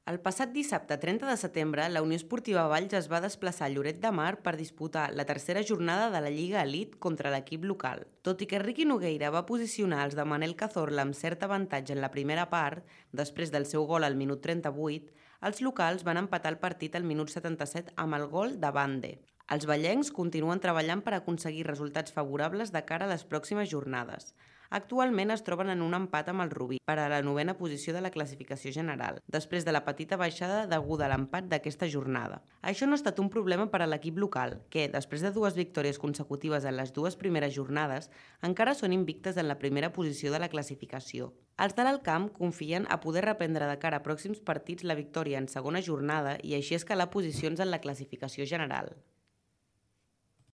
El passat dissabte 30 de setembre, la Unió Esportiva Valls es va desplaçar a Lloret de Mar per disputar la tercera jornada de la Lliga Elite contra l'equip local. Tot i que Riqui Nogueira va posicionar els de Manel Cazorla amb cert avantatge en la primera part, després del seu gol al minut 38, els locals van empatar el partit al minut 77 amb el gol de Bande. Els vallencs continuen treballant per aconseguir resultats favorables de cara a les pròximes jornades. Actualment es troben en un empat amb el Rubí per a la 9a posició de la classificació general, després de la petita baixada deguda a l'empat d'aquesta jornada. Això no ha estat un problema per a l'equip local, que, després de 2 victòries consecutives en les 2 primeres jornades, encara són invictes en la primera posició de la classificació. Els de l'Alcamp confien a poder reprendre de cara a pròxims partits la victòria en segona jornada i així escalar posicions en la classificació general.